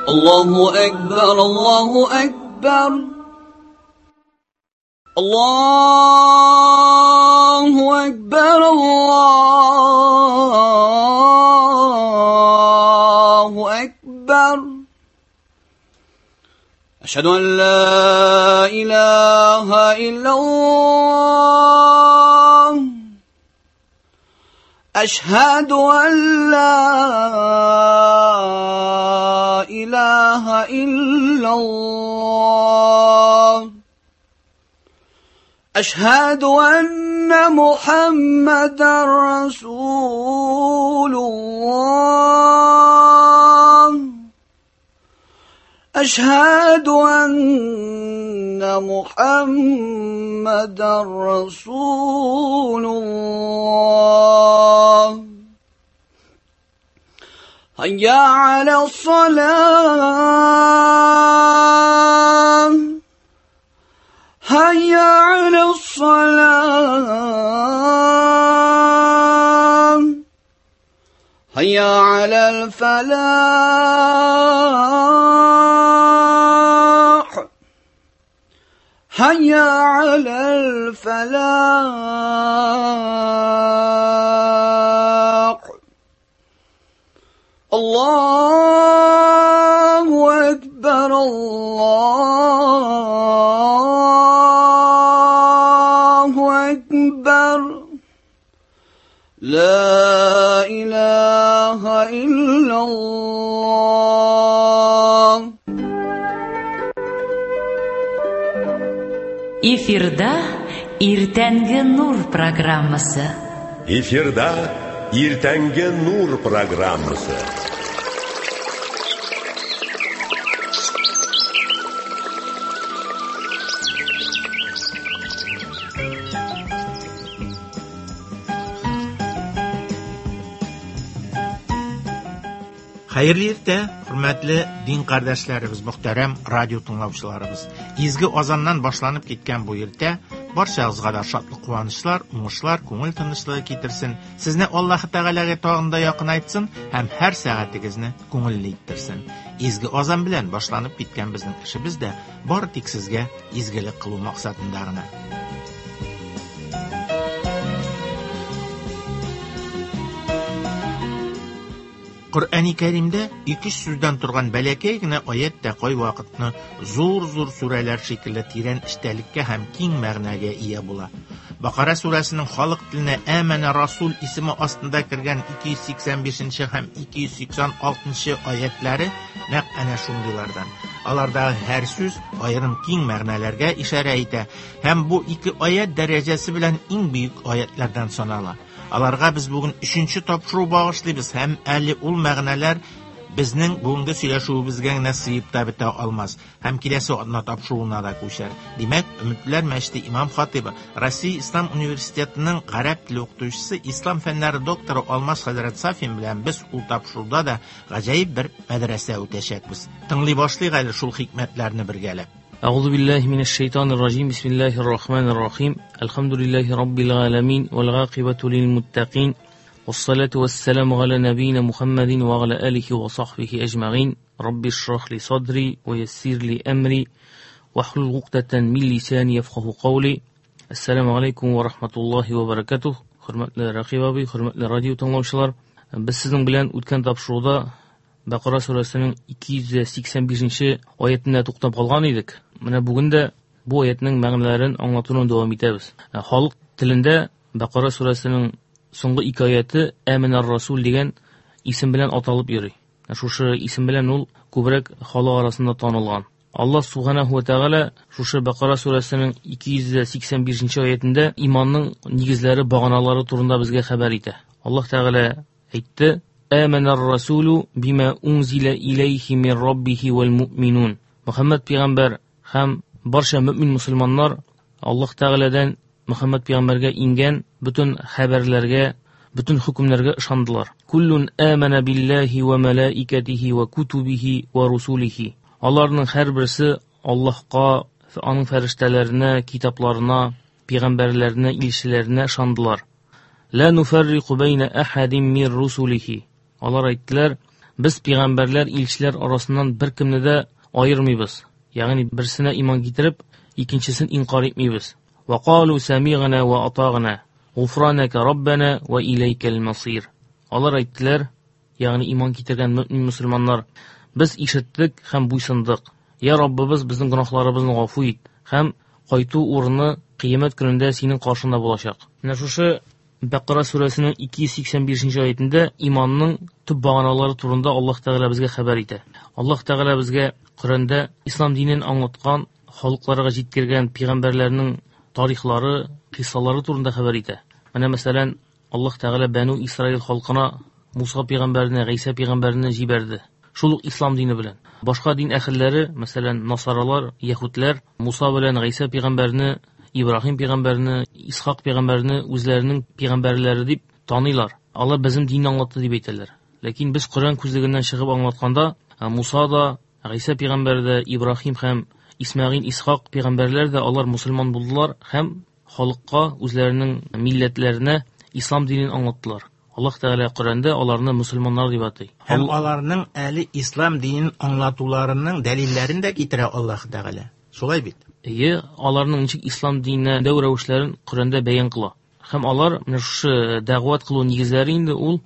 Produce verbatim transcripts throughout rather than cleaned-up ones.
الله أكبر الله أكبر الله أكبر الله أكبر أشهد أن لا إله إلا الله أشهد أن لا إله إلا الله أشهد أن محمدا رسول الله أشهد أن محمدا رسول الله هيا على الصلاة هيا على الصلاة هيا على الفلاح هيا على الفلاح الله أكبر الله أكبر لا إله إلا الله. Эфирда Иртәнге нур программасы. Эфирда Иртәнге нур программасы. Хәерле иртә, хөрмәтле дин кардәшләребез, мөхтәрәм радио тыңлаучыларыбыз. Изге азаннан башланып киткән бу иртә барчагызга да шатлык, куанычлар, уңышлар, күңел тынычлыгы китерсен. Сезне Аллаһы Тәгаләгә тагын да якынайтсын һәм һәр сәгатегезне күңелле иттерсен. Изге азан белән башланып киткән безнең эшебез дә бары тик сезгә изгелек кылу максатында гына. Коръәни Кәримдә ике сүздән торган бәләкәй генә аят тә кайвакытны зур-зур сүрәләр шикелле тирән эчтәлеккә һәм киң мәгънәгә ия була. Бакара сүрәсенең халык теленә Әмәнә Расул исеме астында кергән ике йөз сиксән бишенче һәм ике йөз сиксән алтынчы аятлары нәкъ әнә шундыйлардан. Алардагы һәр сүз аерым киң мәгънәләргә ишарә итә һәм бу ике аят дәрәҗәсе белән иң бөек аятлардан санала. Аларга без бүген өченче тапшыру багышлыйбыз һәм әле ул мәгънәләр безнең бүгенге сөйләшүебезгә генә сыеп та бетә алмас һәм киләсе атна тапшыруына да күчәр. Димәк, Өметләр мәчете имам хатибы, Россия Ислам университетының гарәп теле укытучысы, ислам фәннәре докторы Алмаз хәзрәт Сафин белән без ул тапшыруда да гаҗәеп бер мәдрәсә үтәчәкбез. Тыңлый башлыйк әле шул хикмәтләрне бергәләп. أعوذ بالله من الشيطان الرجيم. بسم الله الرحمن الرحيم. الحمد لله رب العالمين والعاقبة للمتقين والصلاة والسلام على نبينا محمد وعلى آله وصحبه أجمعين. رب اشرح لي صدري ويسر لي أمري واحلل عقدة من لساني يفقه قولي. السلام عليكم ورحمة الله وبركاته. Хөрмәтле Рәкыйп абый, хөрмәтле радио тыңлаучылар, без сезнең белән үткән тапшыруда Бакара сүрәсенең ике йөз сиксән бишенче аятенә туктап калган идек. Менә бүген дә бу аятның мәгънәләрен аңлатуны дәвам итәбез. Халык телендә Бакара сүрәсенең соңгы ике аяты Әмәнәр Расул дигән исем белән аталып йөри. Шушы исем белән ул күбрәк халык арасында танылган. Аллаһ субханаһу ва тәгалә шушы Бакара сүрәсенең ике йөз сиксән бишенче аятендә иманның нигезләре, баганалары турында безгә хәбәр итә. Аллаһ Тәгалә әйтте: Әмәнәр Расулу бима унзила иләйһи мин раббихи вал муъминун. Мөхәммәд пәйгамбәр һәм барча мөмин мусульманнар Аллаһ Тәгаләдән Мөхәммәд пәйгамбәргә ингән бөтен хәбәрләргә, бөтен хөкемнәргә ышандылар. Куллун амана биллаһи ва малаикатихи ва кутубихи ва русулихи. Аларның һәрберсе Аллаһка, аның фәрештәләренә, китапларына, пәйгамбәрләренә, илчеләренә ышандылар. Ла нуфаррику байна ахадин мин русулихи. Алар әйттеләр, Без пәйгамбәрләр, илчеләр арасыннан бер кемне дә аермыйбыз. Ягъни берсенә иман китереп, икенчесен инкар итмибез. Ва калу самигъна ва атагъна, гуфранака раббана ва илайкал масир. Алар әйттеләр, ягъни иман китергән мөмин мөселманнар, без ишеттек һәм буйсындык. Я Раббыбыз, безнең гөнаһларыбызны гафу ит һәм кайту урыны кыямәт көнендә синең каршыңда булачак. Менә шушы Бәкара сүрәсенең ике йөз сиксән бишенче аятендә иманның төп баганалары турында Аллаһ Тәгалә безгә хәбәр итә. Аллаһ Тәгалә безгә Коръәндә ислам динен аңлаткан, халыкларга җиткергән пәйгамбәрләрнең тарихлары, кыйссалары турында хәбәр итә. Менә мәсәлән, Аллаһ Тәгалә Бәну Исраил халкына Муса пәйгамбәрне, Гайсә пәйгамбәрне җибәрде. Шул ук ислам дине белән. Башка дин әһелләре, мәсәлән, насаралар, яһүдләр Муса белән Гайсә пәйгамбәрне, Ибраһим пәйгамбәрне, Исхак пәйгамбәрне үзләренең пәйгамбәрләре дип таныйлар. Алар безнең динне аңлатты дип әйтәләр. Ләкин без Коръән күзлегеннән чыгып аңлатканда, Муса да, Гайсә пәйгамбәр дә, Ибраһим һәм Исмәгыйль, Исхак пәйгамбәрләр дә алар мусульман булдылар һәм халыкка, үзләренең милләтләренә ислам динен аңлаттылар. Аллаһ Тәгалә Коръәндә аларны мусульманнар дип атый. Һәм аларның әле ислам динен аңлатуларының дәлилләрен дә китерә Аллаһ Тәгалә. Шулай бит? Әйе, аларның ничек ислам диненә дәү рәвешләрен Коръәндә бәян кыла. Һәм алар менә шушы дәгъват кылу нигезләре инде ул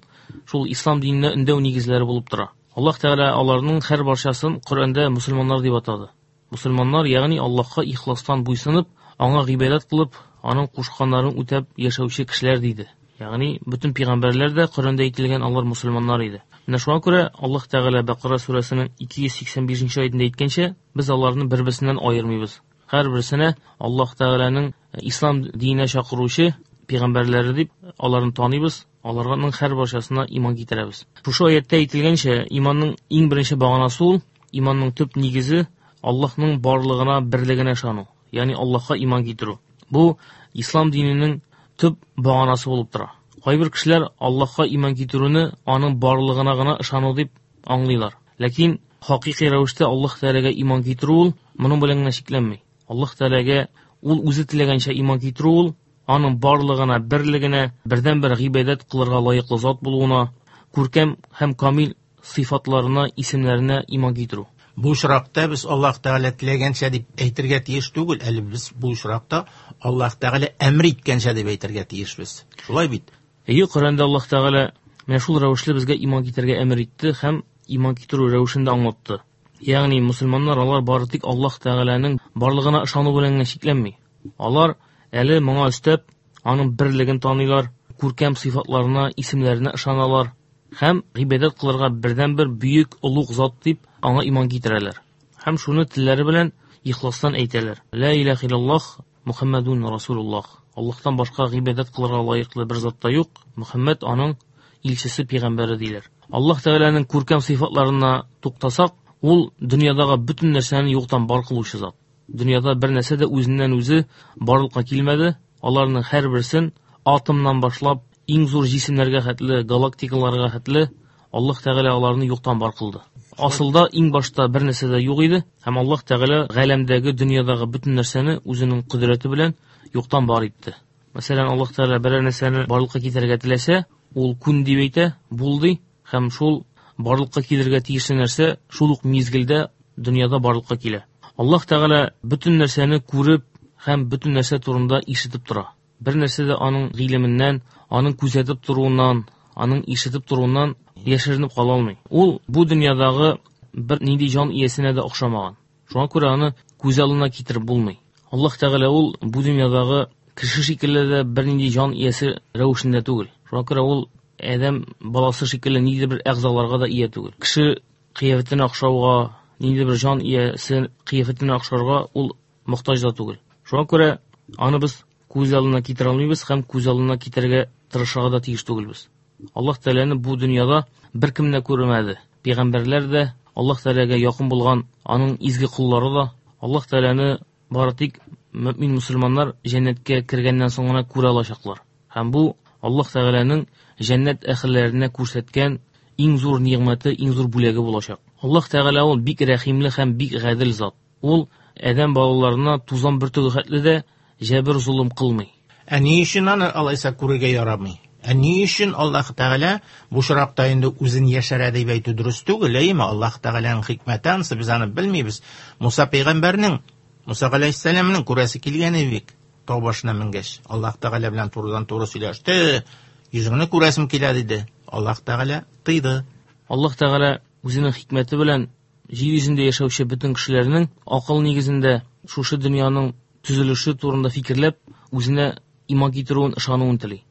шул ислам диненә өндәү нигезләре булып тора. Аллаһ Тәгалә аларның һәр барчасын Коръәндә мусульманнар дип атады. Мусульманнар, ягъни Аллаһка ихластан буйсынып, аңа гыйбадәт кылып, аның кушканнарын үтәп яшәүче кешеләр диде. Ягъни бөтен пәйгамбәрләр дә Коръәндә әйтелгән алар мусульманнар иде. Менә шуңа күрә Аллаһ Тәгалә Бәкара сүрәсенең ике йөз сиксән бишенче аятендә әйткәнчә, без аларны бер-берсеннән аермыйбыз. Һәрберсенә Аллаһ Тәгаләнең ислам диненә чакыручы пәйгамбәрләре дип аларны таныйбыз, аларның һәр барчасына иман китерәбез. Шушы аятта әйтелгәнчә, иманның иң беренче баганасы ул, иманның төп нигезе Аллаһның барлыгына, берлегенә ышану, ягъни Аллаһка иман китерү. Бу ислам диненең төп баганасы булып тора. Кайбер кешеләр Аллаһка иман китерүне аның барлыгына гына ышану дип аңлыйлар. Ләкин хакыйкый рәвештә Аллаһ Тәгаләгә иман китерү ул моның белән генә чикләнми. Аллаһ Тәгаләгә ул үзе теләгәнчә иман китерү ул аның барлыгына, берлегенә, бердәнбер гыйбадәт кылырга лаеклы зат булуына, күркәм һәм камил сыйфатларына, исемнәренә иман китерү. Бу очракта без Аллаһ Тәгалә теләгәнчә дип әйтергә тиеш түгел, әле без бу очракта Аллаһ Тәгалә әмер иткәнчә дип әйтергә тиешбез. Шулай бит? Әйе, Коръәндә Аллаһ Тәгалә менә шул рәвешле безгә иман китерергә әмер итте һәм иман китерү рәвешен дә аңлатты. Ягъни мусульманнар алар бары тик Аллаһ Тәгаләнең барлыгына ышану белән генә чикләнми. Алар әле моңа өстәп аның берлеген таныйлар, күркәм сыйфатларына, исемнәренә ышаналар һәм гыйбадәт кылырга бердәнбер бөек олуг зат дип аңа иман китерәләр. Һәм шуны телләре белән ихластан әйтәләр. Ла илаһа иллаллаһ, Мухаммадун Расулуллаһ. Аллаһтан башка гыйбадәт кылырга лаеклы бер зат та юк. Мухаммад аның илчесе, пәйгамбәре диләр. Аллаһ Тәгаләнең күркәм сыйфатларына туктасак, ул дөньядагы бөтен нәрсәне юктан бар кылучы зат. Дөньяда бер нәрсә дә үзеннән үзе барлыкка килмәде. Аларның һәрберсен атомнан башлап иң зур җисемнәргә хәтле, галактикаларга хәтле Аллаһ Тәгалә аларны юктан бар кылды. Асылда иң башта бер нәрсә дә юк иде, һәм Аллаһ Тәгалә галәмдәге, дөньядагы бөтен нәрсәне үзенең кодрәте белән юктан бар итте. Мәсәлән, Аллаһ Тәгалә берәр нәрсәне барлыкка китерергә теләсә, ул күн дип әйтә, бул ди, һәм шул барлыкка килергә тиешле нәрсә шул ук мизгелдә дөньяда барлыкка килә. Аллаһ Тәгалә бөтен нәрсәне күреп һәм бөтен нәрсә турында ишетеп тора. Бер нәрсә дә аның гыйлеменнән, аның күзәтеп торуыннан, аның ишетеп торуыннан яшеренеп кала алмый. Ул бу дөньядагы бер нинди җан иясенә дә охшамаган. Шуңа күрә аны күз алдына китереп булмый. Аллаһ Тәгалә ул бу дөньядагы кеше шикелле дә бер нинди җан иясе рәвешендә түгел. Шуңа күрә ул адәм баласы шикелле ниндидер бер әгъзаларга да ия түгел. Кеше кыяфәтенә охшауга, ниндидер бер җан иясе кыяфәтенә охшарга ул мохтаҗ да түгел. Шуңа күрә аны без күз алдына китерә алмыйбыз һәм күз алдына китерергә тырышырга да тиеш түгелбез. Аллаһ Тәгаләне бу дөньяда бер кем дә күрмәде. Пәйгамбәрләр дә, Аллаһ Тәгаләгә якын булган аның изге коллары да Аллаһ Тәгаләне бары тик мөмин мусульманнар җәннәткә кергәннән соң гына күрә алачаклар. Һәм бу Аллаһ Тәгаләнең җәннәт әһелләренә күрсәткән иң зур нигъмәте, иң зур бүләге булачак. Аллаһ Тәгалә ул бик рәхимле һәм бик гадел зат. Ул адәм балаларына тузан бөртеге хәтле дә җәбер золым кылмый. Ә ни өчен аны алайса күрергә ярамый? Ә ни өчен Аллаһ Тәгалә бу очракта инде үзен яшерә дип әйтү дөрес түгел, әйеме? Аллаһ Тәгаләнең хикмәте ансы, без аны белмибез. Муса пәйгамбәрнең, Муса галәйһиссәламнең күрәсе килгән иде. Тау башына менгәч, Аллаһ Тәгалә белән турыдан-туры сөйләште. Йөзеңне күрәсем килә диде. Аллаһ Тәгалә тыйды. Аллаһ Тәгалә үзенең хикмәте белән җир йөзендә яшәүче бөтен кешеләрнең акыл нигезендә шушы дөньяның төзелеше турында фикерләп, үзенә иман китерүен, ышануын тели.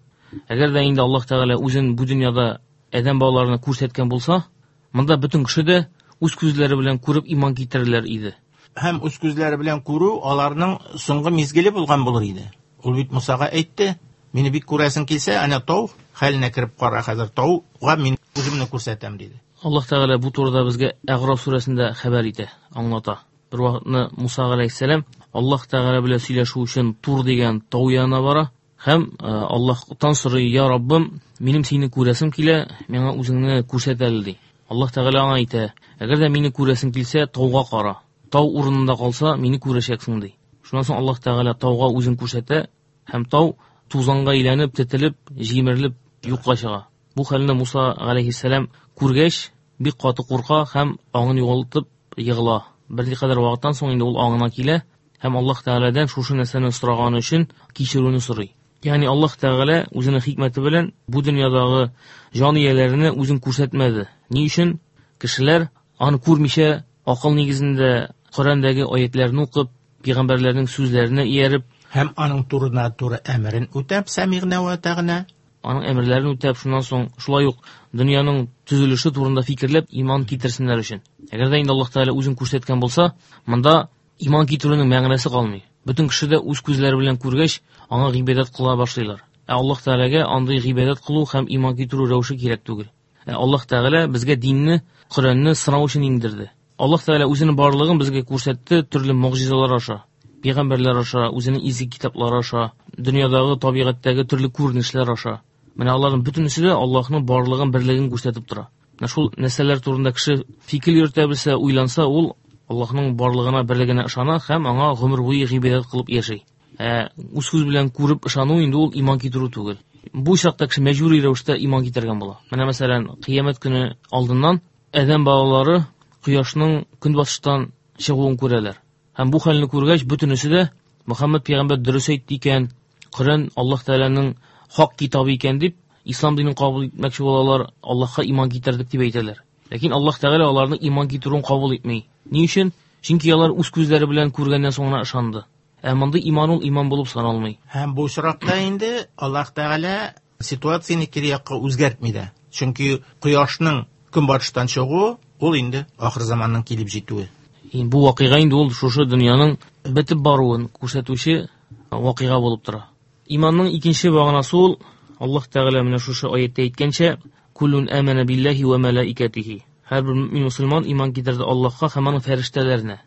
Әгәр дә инде Аллаһ Тәгалә үзен бу дөньяда адәм балаларына күрсәткән булса, монда бөтен кеше дә үз күзләре белән күреп иман китерерләр иде. Һәм үз күзләре белән күрү аларның соңгы мизгеле булган булыр иде. Ул бит Мусага әйтте, мине бик күрәсең килсә, әнә тау хәленә кереп кара, хәзер тауга мин үземне күрсәтәм диде. Аллаһ Тәгалә бу турыда безгә Әгъраф сүрәсендә хәбәр итә, аңлата. Бер вакытны Муса галәйһиссәлам Аллаһ Тәгалә белән сөйләшү өчен Тур дигән тау янына бара һәм Аллаһтан сорый: "Я Раббым, минем сине күрәсем килә, миңа үзеңне күрсәт әле", ди. Аллаһ Тәгалә аңа әйтә: "Әгәр дә мине күрәсең килсә, тауга кара. Тау урынында калса, мине күрәчәксең", ди. Шуннан соң Аллаһ Тәгалә тауга үзен күрсәтә һәм тау тузанга әйләнеп, тетелеп, җимерелеп юкка чыга. Бу хәлне Муса галәйһиссәлам күргәч, бик каты курка һәм аңын югалтып егыла. Берникадәр вакыттан соң инде ул аңына килә һәм Аллаһ Тәгаләдән шушы нәрсәне сораганы өчен кичерүне сорый. Ягъни Аллаһ Тәгалә үзенең хикмәте белән бу дөньядагы җан ияләренә үзен күрсәтмәде. Ни өчен? Кешеләр аны күрмичә, акыл нигезендә Коръәндәге аятларны укып, пәйгамбәрләрнең сүзләренә ияреп һәм аның турына-туры әмерен үтәп, сәмигънә вә тәгънә, аның әмерләрен үтәп, шуннан соң шулай ук дөньяның төзелеше турында фикерләп иман китерсеннәр өчен. Әгәр дә инде Аллаһ Тәгалә үзен күрсәткән булса, монда иман китерүнең мәгънәсе калмый. Бөтен кеше дә үз күзләре белән күргәч, аңа гыйбадәт кыла башлыйлар. Ә Аллаһ Тәгаләгә андый гыйбадәт кылу һәм иман китерү рәвеше кирәк түгел. Ә Аллаһ Тәгалә безгә динне, Коръәнне сынау өчен иңдерде. Аллаһ Тәгалә үзенең барлыгын безгә күрсәтте төрле могҗизалар аша, пәйгамбәрләр аша, үзенең изге китаплары аша, дөньядагы табигатьтәге төрле күренешләр аша. Менә аларның бөтенесе дә Аллаһның барлыгын, берлеген күрсәтеп тора. Менә шул нәрсәләр турында кеше фикер йөртә белсә, уйланса, ул Аллаһның барлыгына, берлегенә ышана һәм аңа гомер буе гыйбадәт кылып яши. Ә үз күз белән күреп ышану инде ул иман китерү түгел. Бу чакта кеше мәҗбүри рәвештә иман китергән була. Менә мәсәлән, кыямәт көне алдыннан адәм балалары кояшның көнбатыштан чыгуын күрәләр. Һәм бу хәлне күргәч, бөтенесе дә Мөхәммәд пәйгамбәр дөрес әйтте икән, Коръән Аллаһ Тәгаләнең хак китабы икән дип, ислам динен кабул итмәкче булалар, Аллаһка иман китердек дип әйтәләр. Ләкин Аллаһ Тәгалә аларның иман китерүен кабул итми. Ни өчен? Чөнки алар үз күзләре белән күргәннән соң гына ышанды. Ә мондый иман ул иман булып саналмый. Һәм бу очракта инде Аллаһ Тәгалә ситуацияне кире якка үзгәртми дә. Чөнки кояшның көнбатыштан чыгуы ул инде ахыр заманның килеп җитүе. Бу вакыйга инде ул шушы дөньяның бетеп баруын күрсәтүче вакыйга булып тора. Иманның икенче баганасы ул Аллаһ Тәгалә менә шушы аятта әйткәнчә, куллун амана биллаһи ва малаикатихи. Һәрбер мөмин мөселман иман китерде Аллаһка һәм аның фәрештәләренә.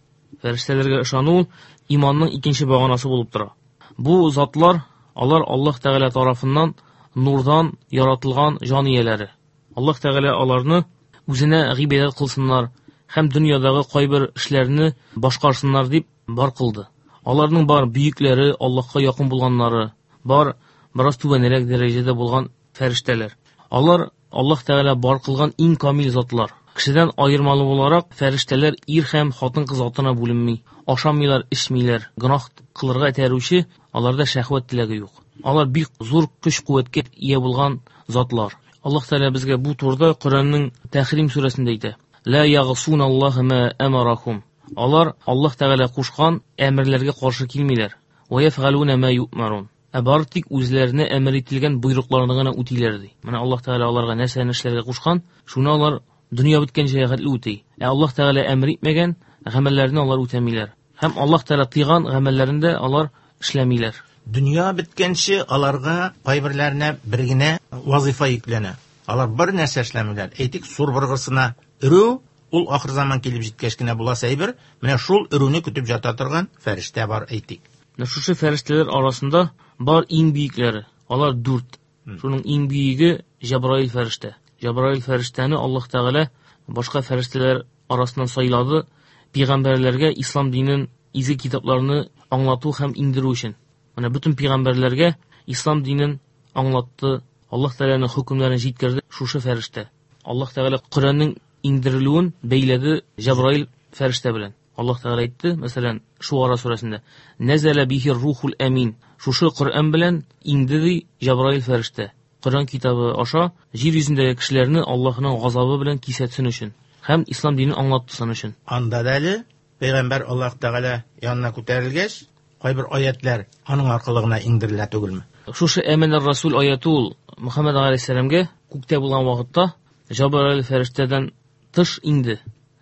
Фәрештәләргә ышану иманның икенче баганасы булып тора. Бу затлар, алар Аллаһ Тәгалә тарафыннан нурдан яратылган җан ияләре. Аллаһ Тәгалә аларны үзенә гыйбадәт кылсыннар һәм дөньядагы кайбер эшләрне башкарсыннар дип бар кылды. Аларның бар бөекләре, Аллаһка якын булганнары, бар бераз түбәнрәк дәрәҗәдә булган фәрештәләр. Алар Аллаһ Тәгалә бар кылган иң камил затлар. Кешедән аермалы буларак фәрештәләр ир һәм хатын-кыз затына бүленми. Ашамыйлар, эчмиләр, гөнаһ кылырга этәрүче аларда шәһвәт теләге юк. Алар бик зур көч-куәткә ия булган затлар. Аллаһ Тәгалә безгә бу турыда Коръәннең Тәхрим сүрәсендә әйтә: «Ла ягъсуна Аллаһа ма амарахум». Алар Аллаһ Тәгалә кушкан әмерләргә каршы килмиләр. Ва яфгалуна ма юъмарун. Ә бары тик үзләренә әмер ителгән боерыкларны гына үтиләр ди. Менә Аллаһ Тәгалә аларга нәрсәне эшләргә кушкан, шуны алар дөнья беткәнчә хәтле үти. Ә Аллаһ Тәгалә әмер итмәгән гамәлләрне алар үтәмиләр. Һәм Аллаһ Тәгалә тыйган гамәлләрен дә алар эшләмиләр. Дөнья беткәнче аларга кайберләренә бер генә вазифа йөкләнә. Алар бер нәрсә эшләмиләр. Әйтик, сур быргысына өрү, ул ахыр заман килеп җиткәч кенә буласы әйбер. Менә шул өрүне көтеп ята торган фәрештә бар, әйтик. Менә шушы фәрештәләр арасында бар иң бөекләре. Алар дүрт. Шуның иң бөеге Җәбраил фәрештә. Җәбраил фәрештәне Аллаһ Тәгалә башка фәрештәләр арасыннан сайлады, пәйгамбәрләргә ислам динен, изге китапларны аңлату һәм иңдерү өчен. Менә бөтен пәйгамбәрләргә ислам динен аңлатты Аллаһ Тәгаләнең хөкемнәрен җиткерде шушы фәрештә. Аллаһ Тәгалә Коръәннең иңдерелүен бәйләде Җәбраил фәрештә белән. Аллаһ Тәгалә әйтте, мәсәлән, Шуара сүрәсендә: "Нәзәлә бихи рухул амин". Шушы Коръән белән иңде ди Җәбраил фәрештә. Коръән китабы аша җир йөзендәге кешеләрне Аллаһның газабы белән кисәтсен өчен һәм ислам динен аңлатсын өчен. Анда да әле пәйгамбәр Аллаһ Тәгалә янына күтәрелгәч, кайбер аятлар аның аркылы гына иңдерелә түгелме? Шушы Әмәнәр Расул аяты ул Мөхәммәд галәйһиссәламгә күктә булган вакытта Җәбраил фәрештәдән тыш иңде.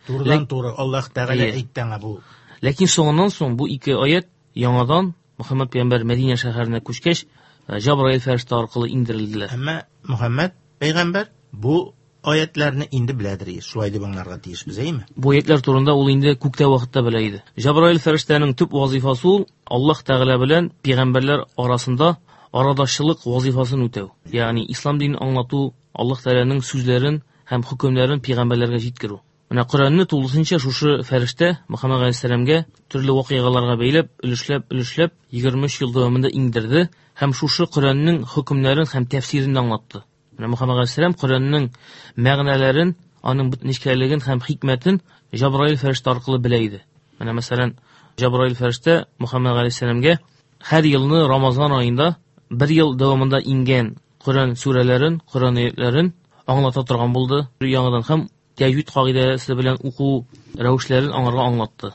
Турыдан туры Аллаһ Тәгалә әйтте аңа бу. Ләкин соңыннан соң бу ике аят яңадан Мөхәммәд пәйгамбәр Мәдинә шәһәренә күчкәч, Җәбраил фәрештә аркылы иңдерелделәр. Әмма Мөхәммәд пәйгамбәр бу аятларны инде беләдер, шулай дип аңларга тиешбез, әйме? Бу аятлар турында ул инде күктә вакытта белә иде. Җәбраил фәрештәнең төп вазифасы ул Аллаһ Тәгалә белән пәйгамбәрләр арасында арадашчылык вазифасын үтәү. Ягъни ислам динен аңлату, Аллаһ Тәгаләнең сүзләрен һәм хөкемнәрен пәйгамбәрләргә җиткерү. Менә Коръәнне тулысынча шушы фәрештә Мөхәммәд галәйһиссәламгә төрле вакыйгаларга бәйләп, өлешләп, өлешләп егерме өч ел дәвамында иңдерде һәм шушы Коръәннең хөкемнәрен һәм тәфсирен аңлатты. Менә Мөхәммәд галәйһиссәлам Коръәннең мәгънәләрен, аның бөтен нечкәлеген һәм хикмәтен Җәбраил фәрештә аркылы белә иде. Менә мәсәлән, Җәбраил фәрештә Мөхәммәд галәйһиссәламгә һәр елны Рамазан аенда бер ел дәвамында иңгән Коръән сүрәләрен, Коръән аятларын аңлата торган булды. Яңадан һәм тәҗвид кагыйдәсе белән уку рәвешләрен аңарга аңлатты.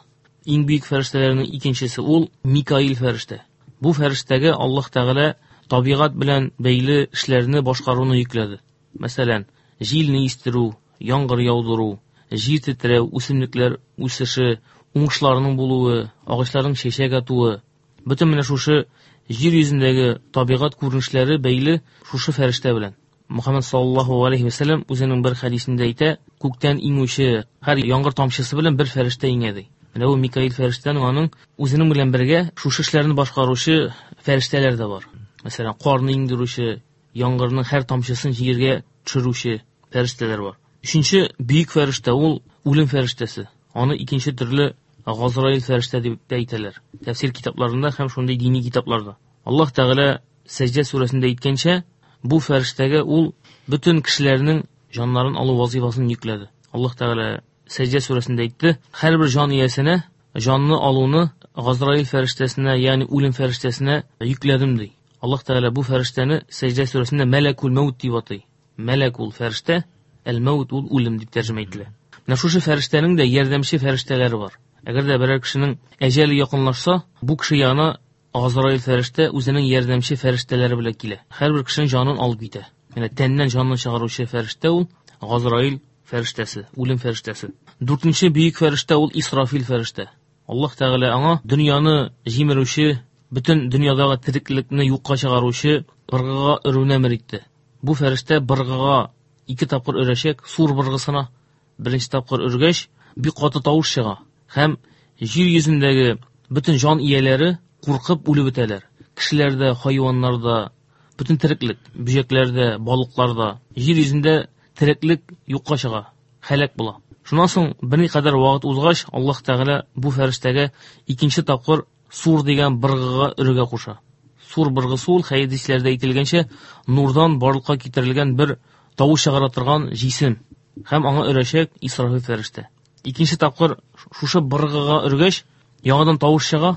Иң бөек фәрештәләрнең икенчесе ул Микаил фәрештә. Бу фәрештәгә Аллаһ Тәгалә табигать белән бәйле эшләрне башкаруны йөкләде. Мәсәлән, җилне истерү, яңгыр яудыру, җир тетрәү, үсемлекләр үсеше, уңышларның булуы, агачларның чәчәк атуы. Бөтен менә шушы җир йөзендәге табигать күренешләре бәйле шушы фәрештә белән. Мөхәммәд саллаллаһу алейһи ва сәлләм үзенең бер хәдисендә әйтә, күктән иңүче һәр яңгыр тамчысы белән бер фәрештә иңә ди. Менә бу Микаил фәрештәнең аның үзенең белән бергә шушы эшләрне башкаручы фәрештәләр дә бар. Мәсәлән, карны иңдерүче, яңгырның һәр тамчысын җиргә төшерүче фәрештәләр бар. Өченче бөек фәрештә ул үлем фәрештәсе. Аны икенче төрле Газраил фәрештә дип тә әйтәләр. Тәфсир китапларында һәм шундый дини китапларда. Аллаһ Тәгалә Сәҗдә сүрәсендә әйткәнчә, бу фәрештәгә ул бөтен кешеләрнең җаннарын алу вазифасын йөкләде. Аллаһ Тәгалә Сәҗдә сүрәсендә әйтте, һәрбер җан иясенә җанны алуны Газраил фәрештәсенә, ягъни үлем фәрештәсенә йөкләдем ди. Аллаһ Тәгалә бу фәрештәне Сәҗдә сүрәсендә Мәләкул Мәүт дип атый. Мәләк ул фәрештә, әл-Мәүт ул үлем дип тәрҗемә ителә. Менә шушы фәрештәнең дә ярдәмче фәрештәләре бар. Әгәр дә берәр кешенең әҗәле якынлашса, бу кеше янына Газраил фәрештә үзенең ярдәмче фәрештәләре белән килә. Һәрбер кешенең җанын алып китә. Менә тәннән җанын чыгаручы фәрештә ул Газраил фәрештәсе, үлем фәрештәсе. Дүртенче бөек фәрештә ул Исрафил фәрештә. Аллаһ Тәгалә аңа дөньяны җимерүче, бөтен дөньядагы тереклекне юкка чыгаручы быргыга өрүне әмер итте. Бу фәрештә быргыга ике тапкыр өрәчәк, сур быргысына беренче тапкыр өргәч, бик каты тавыш чыга һәм җир йөзендәге бөтен җан ияләре куркып үлеп бетәләр. Кешеләр дә, хайваннар да, бөтен тереклек, бөҗәкләр дә, балыклар да, җир йөзендә тереклек юкка чыга, һәлак була. Шуннан соң берникадәр вакыт узгач, Аллаһ Тәгалә бу фәрештәгә икенче тапкыр сур дигән быргыга өрергә куша. Сур быргысы ул хәдисләрдә әйтелгәнчә нурдан барлыкка китерелгән бер тавыш чыгара торган җисем һәм аңа өрәчәк Исрафил фәрештә. Икенче тапкыр шушы быргыга өргәч, яңадан тавыш чыга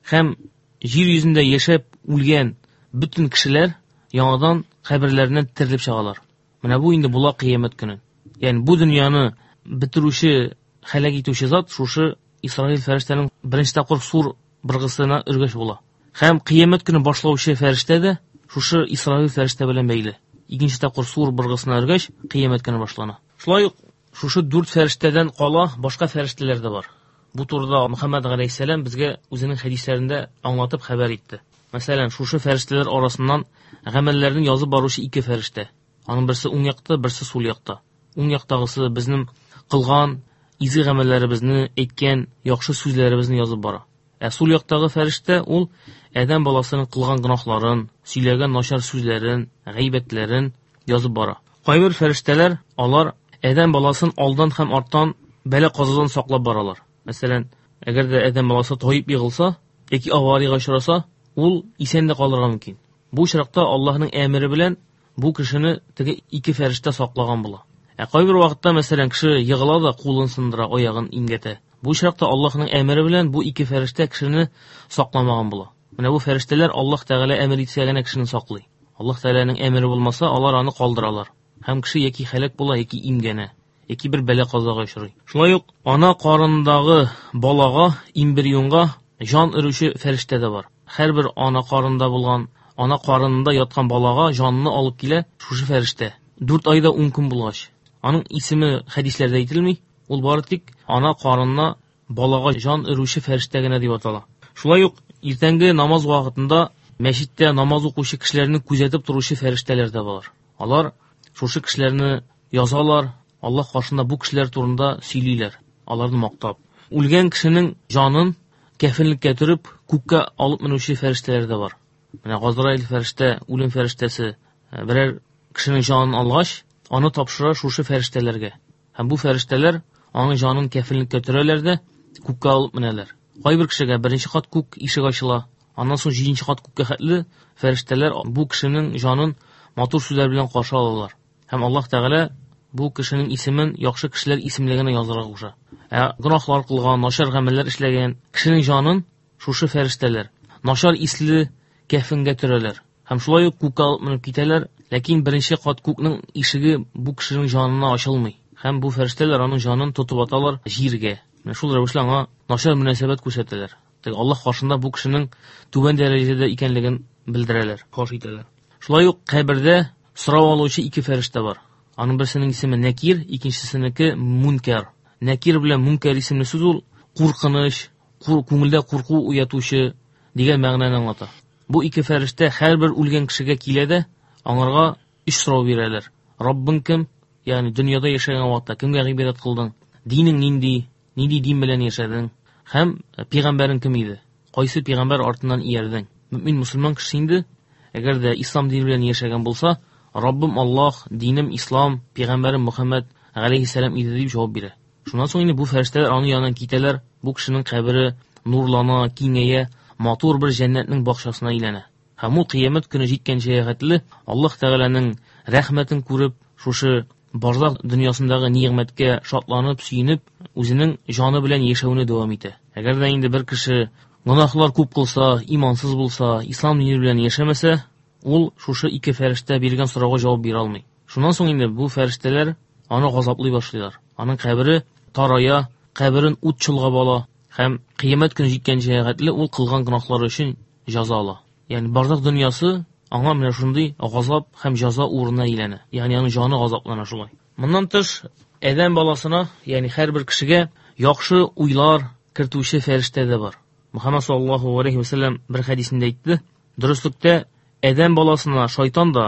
һәм җир йөзендә яшәп үлгән бөтен кешеләр яңадан каберләреннән терелеп чыгалар. Менә бу инде була кыямәт көне. Ягъни бу дөньяны бетерүче, һәлак итүче зат шушы Исрафил фәрештәнең беренче тапкыр сур быргысына өргәч була. Һәм кыямәт көне башлаучы фәрештә дә шушы Исрафил фәрештә белән бәйле. Икенче тапкыр сур быргысына өргәч, кыямәт көне башлана. Шулай ук шушы дүрт фәрештәдән кала башка фәрештәләр дә бар. Бу турыда Мөхәммәд галәйһиссәлам безгә үзенең хәдисләрендә аңлатып хәбәр итте. Мәсәлән, шушы фәрештәләр арасыннан гамәлләрне язып баручы ике фәрештә. Аның берсе уң якта, берсе сул якта. Уң яктагысы безнең кылган изге гамәлләребезне, әйткән яхшы сүзләребезне язып бара. Ә сул яктагы фәрештә ул адәм баласының кылган гөнаһларын, сөйләгән начар сүзләрен, гайбәтләрен язып бара. Кайбер фәрештәләр алар адәм баласын алдан һәм арттан бәла-казадан саклап баралар. Мәсәлән, әгәр дә адәм баласы таеп егылса яки авариягә очраса, ул исән дә калырга мөмкин. Бу очракта Аллаһның әмере белән бу кешене теге ике фәрештә саклаган була. Ә кайбер вакытта, мәсәлән, кеше егыла да кулын сындыра, аягын имгәтә. Бу очракта Аллаһның әмере белән бу ике фәрештә кешене сакламаган була. Менә бу фәрештәләр Аллаһ Тәгалә әмер итсә генә кешене саклый. Аллаһ Тәгаләнең әмере булмаса, алар аны калдыралар. Һәм кеше яки һәлак була, яки имгәнә, яки бер бәла-казага очрый. Шулай ук ана карынындагы балага, эмбрионга җан өрүче фәрештә дә бар. Һәрбер ана карынында булган, ана карынында яткан балага җанны алып килә шушы фәрештә. Дүрт айда ун көн булгач. Аның исеме хәдисләрдә әйтелми. Ул бары тик ана карынына балага җан өрүче фәрештә генә дип атала. Шулай ук иртәнге намаз вакытында мәчеттә намаз укучы кешеләрне күзәтеп торучы фәрештәләр дә бар. Алар шушы кешеләрне язалар, Аллаһ каршында бу кешеләр турында сөйлиләр, аларны мактап. Үлгән кешенең җанын кәфенлеккә төреп, күккә алып менүче фәрештәләр дә бар. Менә Газраил фәрештә, үлем фәрештәсе берәр кешенең җанын алгач, аны тапшыра шушы фәрештәләргә. Һәм бу фәрештәләр аның җанын кәфенлеккә төрәләр дә күккә алып менәләр. Кайбер кешегә беренче кат күк ишеге ачыла, аннан соң җиденче кат күккә хәтле фәрештәләр бу кешенең җанын матур сүзләр белән каршы алалар. Һәм Аллаһ Тәгалә бу кешенең исемен яхшы кешеләр исемлегенә язарга куша. Ә гөнаһлар кылган, начар гамәлләр эшләгән кешенең җанын шушы фәрештәләр начар исле кәфенгә төрәләр. Һәм шулай ук күккә алып менеп китәләр, ләкин беренче кат күкнең ишеге бу кешенең җанына ачылмый. Һәм бу фәрештәләр аның җанын тотып аталар җиргә. Менә шул рәвешле аңа начар мөнәсәбәт күрсәтәләр. Теге Аллаһ каршында бу кешенең түбән дәрәҗәдә икәнлеген белдерәләр, фаш итәләр. Шулай ук кабердә сорау алучы ике фәрештә бар. Аның берсенең исеме Нәкир, икенчесенеке Мункар. Нәкир белән Мункар исемле сүз ул куркыныч, күңелдә курку уятучы дигән мәгънәне аңлата. Бу ике фәрештә һәрбер үлгән кешегә килә дә аңарга өч сорау бирәләр. Раббың кем? Ягъни дөньяда яшәгән вакытта кемгә гыйбадәт кылдың? Динең нинди? Нинди дин белән яшәдең? Һәм пәйгамбәрең кем иде? Кайсы пәйгамбәр артыннан иярдең? Мөмин мусульман кеше инде, әгәр дә ислам дине белән яшәгән булса, Раббым Аллаһ, динем ислам, пәйгамбәрем Мөхәммәд галәйһиссәлам иде дип җавап бирә. Шуннан соң инде бу фәрештәләр аның янына китәләр. Бу кешенең кабере нурлана, киңәя, матур бер җәннәтнең бакчасына әйләнә. Һәм ул кыямәт көне җиткәнчә хәтле Аллаһ Тәгаләнең рәхмәтен күреп, шушы барзах дөньясындагы нигъмәткә шатланып, сөенеп, үзенең җаны белән яшәүне дәвам итә. Әгәр дә инде бер кеше гөнаһлар күп кылса, имансыз булса, ислам дине белән яшәмәсә, ул шушы ике фәрештә биргән сорауга җавап бирә алмый. Шуннан соң инде бу фәрештәләр аны газаплый башлыйлар. Аның кабере тарая, каберен ут чолгап ала һәм кыямәт көне җиткәнчә хәтле ул кылган гөнаһлары өчен җәза ала. Ягъни барзах дөньясы аңа менә шундый газап һәм җәза урынына әйләнә. Ягъни аның җаны газаплана шулай. Моннан тыш, адәм баласына, ягъни һәрбер кешегә яхшы уйлар кертүче фәрештә дә бар. Мөхәммәд саллаллаһу алейһи ва сәлләм бер хәдисендә әйтте: "Дөреслектә адәм баласына шайтан да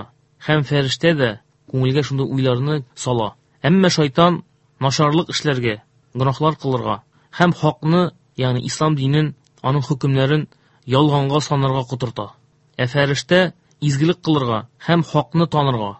һәм фәрештә дә күңелгә шундый уйларны сала. Әмма шайтан начарлык эшләргә, гөнаһлар кылырга һәм хакны, ягъни ислам динен, аның хөкемнәрен ялганга санарга котырта. Ә фәрештә изгелек кылырга һәм хакны танырга,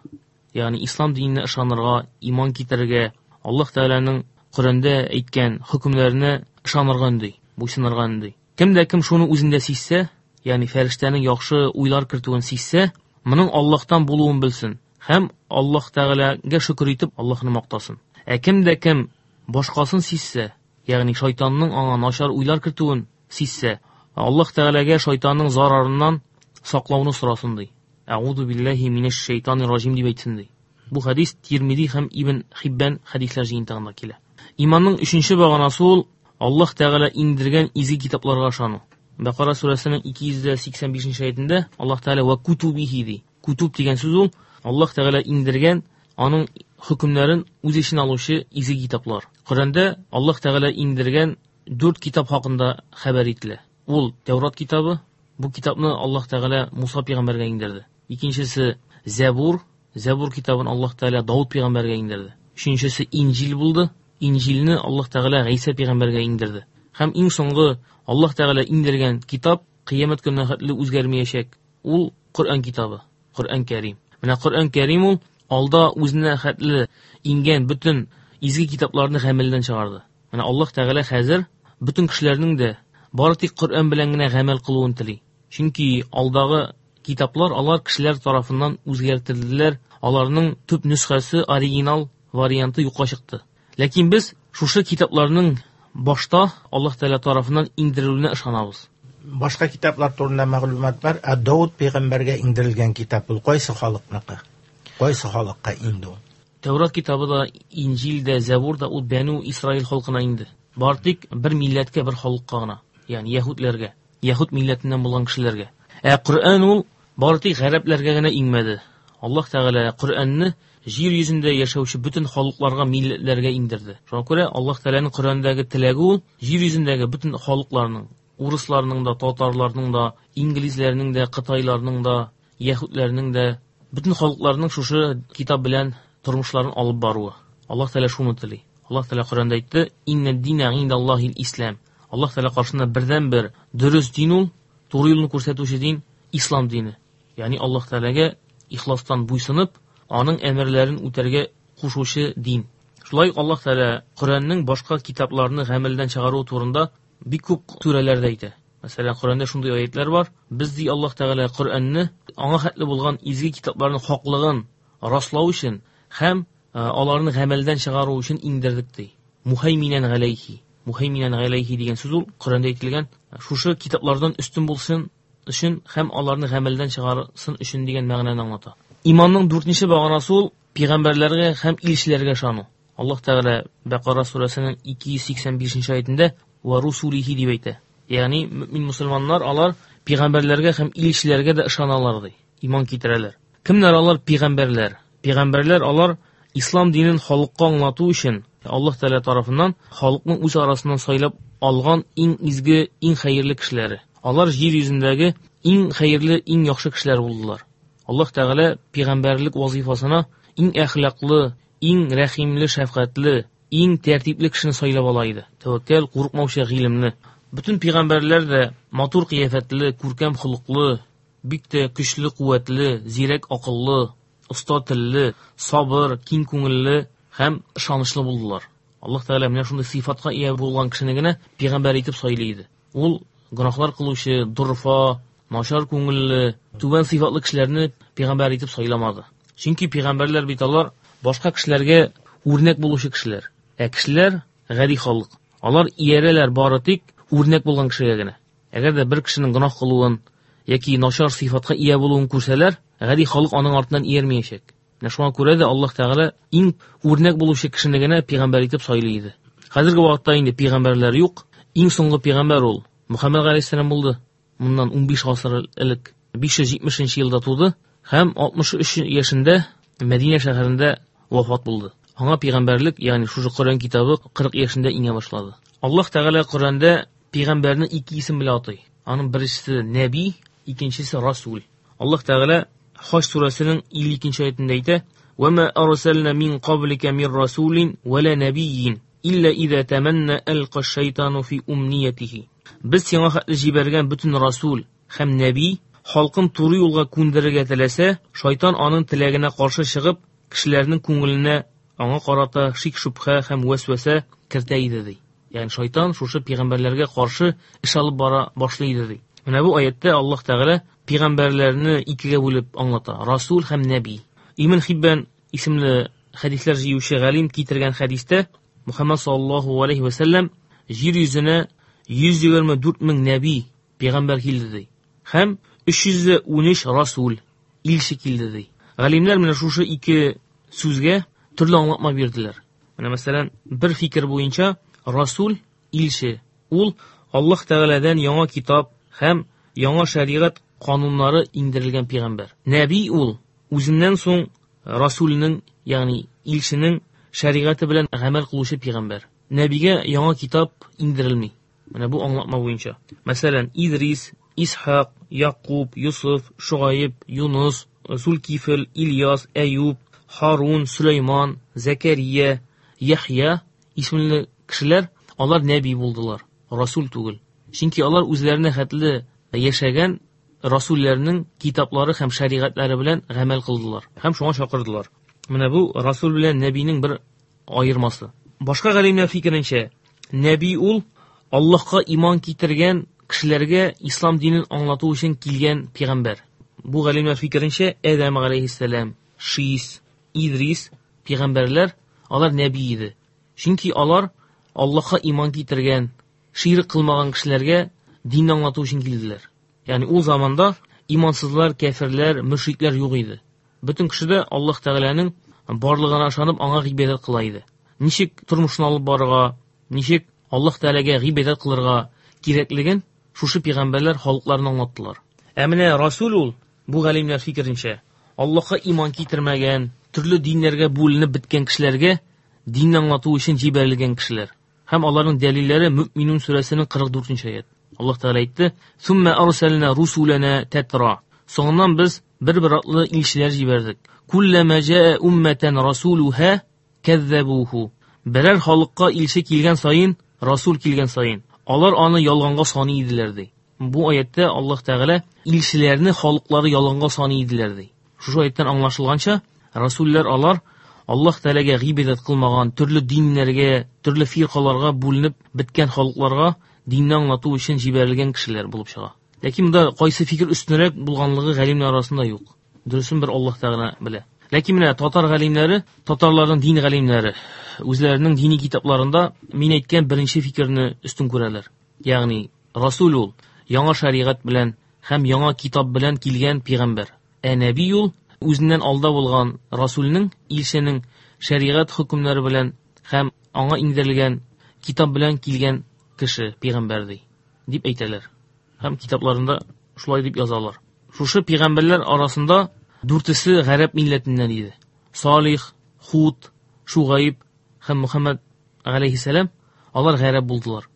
ягъни ислам диненә ышанырга, иман китерергә, Аллаһ Тәгаләнең Коръәндә әйткән хөкемнәренә ышанырга өнди, буйсынырга өнди. Кем дә кем шуны үзендә сизсә, ягъни фәрештәнең яхшы уйлар кертүен сизсә, моның Аллаһтан булуын белсен һәм Аллаһ Тәгаләгә шөкер итеп Аллаһны мактасын. Ә кем дә кем башкасын сизсә, ягъни шайтанның аңа начар уйлар кертүен сизсә, Аллаһ Тәгаләгә шайтанның зарарыннан саклауны сорасын ди. Әгуду биллаһи минәш шайтанир раҗим дип әйтсен ди. Бу хәдис Тирмизи һәм Ибн Хиббан хәдисләр җыентыгында килә. Иманның өченче баганасы ул Аллаһ Тәгалә иңдергән изге китапларга ышану. Бакара сүрәсенең ике йөз сиксән бишенче аятендә Аллаһ Тәгалә ва кутубихи ди. Кутуб дигән сүз ул Аллаһ Тәгалә иңдергән аның хөкемнәрен үз эченә алучы изге китаплар. Коръәндә Аллаһ Тәгалә иңдергән дүрт китап хакында хәбәр ителә. Ул Тәүрат китабы, бу китапны Аллаһ Тәгалә Муса пәйгамбәргә иңдерде. Икенчесе Зәбур, Зәбур китабын Аллаһ Тәгалә Дауд пәйгамбәргә иңдерде. Өченчесе Инҗил булды. Инҗилне Аллаһ Тәгалә Гайсә пәйгамбәргә иңдерде. Һәм иң соңгы Аллаһ Тәгалә иңдергән китап кыямәт көненә хәтле үзгәрмәячәк. Ул Коръән китабы, Коръән Кәрим. Менә Коръән Кәрим ул алда үзенә хәтле иңгән бөтен изге китапларны гамәлдән чыгарды. Менә Аллаһ Тәгалә хәзер бөтен кешеләрнең дә бары тик Коръән белән генә гамәл кылуын тели. Чөнки алдагы китаплар алар кешеләр тарафыннан үзгәртелделәр. Аларның төп нөсхәсе, оригинал варианты юкка чыкты. Ләкин без шушы китапларның башта Аллаһ Тәгалә тарафыннан иңдерелүенә ышанабыз. Башка китаплар турында мәгълүмат бар. Ә Давыд пәйгамбәргә иңдерелгән китап ул кайсы халыкныкы? Кайсы халыкка инде ул? Тәүрат китабы да, Инҗил дә, Зәбур да ул Бәну Исраил халкына инде. Бар тик бер милләткә, бер халыкка гына, ягъни яһүдләргә, яһүд милләтеннән булган кешеләргә. Ә Коръән ул бары тик гарәпләргә генә иңмәде. Аллаһ Тәгалә Коръәнне җир йөзендә яшәүче бөтен халыкларга, милләтләргә иңдерде. Шуңа күрә Аллаһ Тәгаләнең Коръәндәге теләге ул җир йөзендәге бөтен халыкларның, урысларның да, татарларның да, инглизләрнең дә, кытайларның да, яһүдләрнең дә, бөтен халыкларның шушы китап белән тормышларын алып баруы. Аллаһ Тәгалә шуны тели. Аллаһ Тәгалә Коръәндә әйтте: "Инна дина индаллаһил ислам". Аллаһ Тәгалә каршында бердән-бер дөрес дин ул, туры юлны күрсәтүче дин ислам дине. Ягъни Аллаһ Тәгаләгә ихластан буйсынып, аның әмерләрен үтәргә кушучы дин. Шулай ук Аллаһ Тәгалә Коръәннең башка китапларны гамәлдән чыгару турында бик күп сүрәләрдә әйтә. Мәсәлән, Коръәндә шундый аятлар бар: "Без ди Аллаһ Тәгалә Коръәнне аңа хәтле булган изге китапларның хаклыгын раслау өчен һәм аларны гамәлдән чыгару өчен иңдердек" ди. Мухайминан галәйхи. Мухайминан галәйхи дигән сүз ул Коръәндә әйтелгән шушы китаплардан өстен булсын өчен һәм аларны гамәлдән чыгарсын өчен дигән мәгънәне аңлата. Иманның дүртенче баганасы ул пәйгамбәрләргә һәм илчеләргә ышану. Аллаһ Тәгалә Бакара сүрәсенең ике йөз сиксән бишенче аятендә ва русулихи дип әйтә. Ягъни мөмин мусульманнар алар пәйгамбәрләргә һәм илчеләргә дә ышаналар ди. Иман китерәләр. Кемнәр алар пәйгамбәрләр? Пәйгамбәрләр алар ислам динен халыкка аңлату өчен Аллаһ Тәгалә тарафыннан халыкның үз арасыннан сайлап алган иң изге, иң хәерле кешеләре. Алар җир йөзендәге иң хәерле, иң яхшы кешеләр булдылар. Аллаһ Тәгалә пәйгамбәрлек вазифасына иң әхлаклы, иң рәхимле, шәфкатьле, иң тәртипле кешене сайлап ала иде. Тәвәккәл, курыкмаучы, гыйлемле. Бөтен пәйгамбәрләр дә матур кыяфәтле, күркәм холыклы, бик тә көчле, куәтле, зирәк акыллы, оста телле, сабыр, киң күңелле һәм ышанычлы булдылар. Аллаһ Тәгалә менә шундый сыйфатка ия булган кешене генә пәйгамбәр итеп сайлый иде. Ул гөнаһлар кылучы, дорфа, начар күңелле, түбән сыйфатлы кешеләрне пәйгамбәр итеп сайламады. Чөнки пәйгамбәрләр бит алар башка кешеләргә үрнәк булучы кешеләр. Ә кешеләр гади халык. Алар иярәләр бары тик үрнәк булган кешегә генә. Әгәр дә бер кешенең гөнаһ кылуын яки начар сыйфатка ия булуын күрсәләр, гади халык аның артыннан иярмәячәк. Менә шуңа күрә дә Аллаһ Тәгалә иң үрнәк булучы кешене генә пәйгамбәр итеп сайлый иде. Хәзерге вакытта инде пәйгамбәрләр юк. Иң соңгы пәйгамбәр ул Мөхәммәд галәйһиссәлам булды. Моннан унбиш гасыр элек биш йөз җитмешенче елда туды һәм алтмыш өч яшендә Мәдинә шәһәрендә вафат булды. Аңа пәйгамбәрлек, ягъни шушы Коръән китабы кырык яшендә иңә башлады. Аллаһ Тәгалә Коръәндә пәйгамбәрне ике исем белән атый. Аның беренчесе нәби, икенчесе расул. Аллаһ Тәгалә Хаҗ сүрәсенең илле икенче аятендә әйтә: "Ва ма арсална мин каблика мин расулин ва ла набийин илла иза таманна алка шайтану фи умниятихи". Без сиңа хәтле җибәргән бөтен расул һәм нәби халкын туры юлга күндерергә теләсә, шайтан аның теләгенә каршы чыгып, кешеләрнең күңеленә аңа карата шик-шөбһә һәм вәсвәсә кертә иде ди. Ягъни шайтан шушы пәйгамбәрләргә каршы эш алып бара башлый иде ди. Менә бу аятта Аллаһ Тәгалә пәйгамбәрләрне икегә бүлеп аңлата: расул һәм нәби. Ибн Хиббан исемле хәдисләр җыючы галим китергән хәдистә Мөхәммәд саллаллаһу алейхи ва саллям җир йөзенә йөз егерме дүрт мең нәби пәйгамбәр килде ди. Һәм өч йөз унөч расул илче килде ди. Галимнәр менә шушы ике сүзгә төрле аңлатма бирделәр. Менә мәсәлән, бер фикер буенча расул илче ул Аллаһ Тәгаләдән яңа китап һәм яңа шәригать кануннары иңдерелгән пәйгамбәр. Нәби ул үзеннән соң расулның, ягъни илченең шәригате белән гамәл кылучы пәйгамбәр. Нәбигә яңа китап иңдерелми. Менә бу аңлатма буенча. Мәсәлән, Идрис, Исхак, Якуб, Юсуф, Шугаиб, Юнус, Зулкифл, Ильяс, Әюб, Харун, Сөләйман, Зәкәрия, Яхья исемле кешеләр алар нәби булдылар, расул түгел. Чөнки алар үзләренә хәтле яшәгән расулләрнең китаплары һәм шәригатьләре белән гамәл кылдылар һәм шуңа чакырдылар. Менә бу расул белән нәбинең бер аермасы. Башка галимнәр фикеренчә, нәби ул Аллаһка иман китергән кешеләргә ислам динен аңлату өчен килгән пәйгамбәр. Бу галимнәр фикеренчә, Адәм галәйһиссәлам, Шис, Идрис пәйгамбәрләр алар нәби иде. Чөнки алар Аллаһка иман китергән, ширк кылмаган кешеләргә динне аңлату өчен килделәр. Ягъни ул заманда имансызлар, кәферләр, мөшрикләр юк иде. Бөтен кеше дә Аллаһ Тәгаләнең барлыгына ышанып, аңа гыйбадәт кыла иде. Ничек тормышны алып барырга, ничек Аллаһ Тәгаләгә гыйбадәт кылырга кирәклеген шушы пәйгамбәрләр халыкларына аңлаттылар. Ә менә Расул ул, бу галимнәр фикеренчә, Аллаһка иман китермәгән, төрле диннәргә бүленеп беткән кешеләргә динне аңлату өчен җибәрелгән кешеләр. Һәм аларның дәлилләре Мөминун сүрәсенең кырык дүртенче аят. Аллаһ Тәгалә әйтте: "Сумма арсална русулана татра." Соңыннан без бер-бер атлы илчеләр җибәрдек. Куллама жаа умматан расулуха каззабуху. Берәр халыкка илче килгән саен, расул килгән саен, алар аны ялганга саный иделәр ди. Бу аятта Аллаһ Тәгалә илчеләрне халыклары ялганга саный иделәр ди. Шушы аяттан аңлашылганча, расуллар алар Аллаһ Тәгаләгә гыйбадәт кылмаган, төрле диннәргә, төрле фиркаларга бүленеп беткән халыкларга динне аңлату өчен җибәрелгән кешеләр булып чыга. Ләкин монда кайсы фикер өстенрәк булганлыгы галимнәр арасында юк. Дөресен бер Аллаһ Тәгалә белә. Ләкин менә татар галимнәре, татарларның дин галимнәре үзләренең дини китапларында мин әйткән беренче фикерне өстен күрәләр. Ягъни Расул ул яңа шәригать белән һәм яңа китап белән килгән пәйгамбәр. Ә нәби ул үзеннән алда булган Расулның, илченең шәригать хөкемнәре белән һәм аңа иңдерелгән китап белән килгән кеше, пәйгамбәр ди, дип әйтәләр. Һәм китапларында шулай дип язалар. Шушы пәйгамбәрләр арасында дүртесе гарәп милләтеннән иде. Салих, Худ, Шугайб һәм Мухаммад галәйһиссәлам алар гарәп булдылар.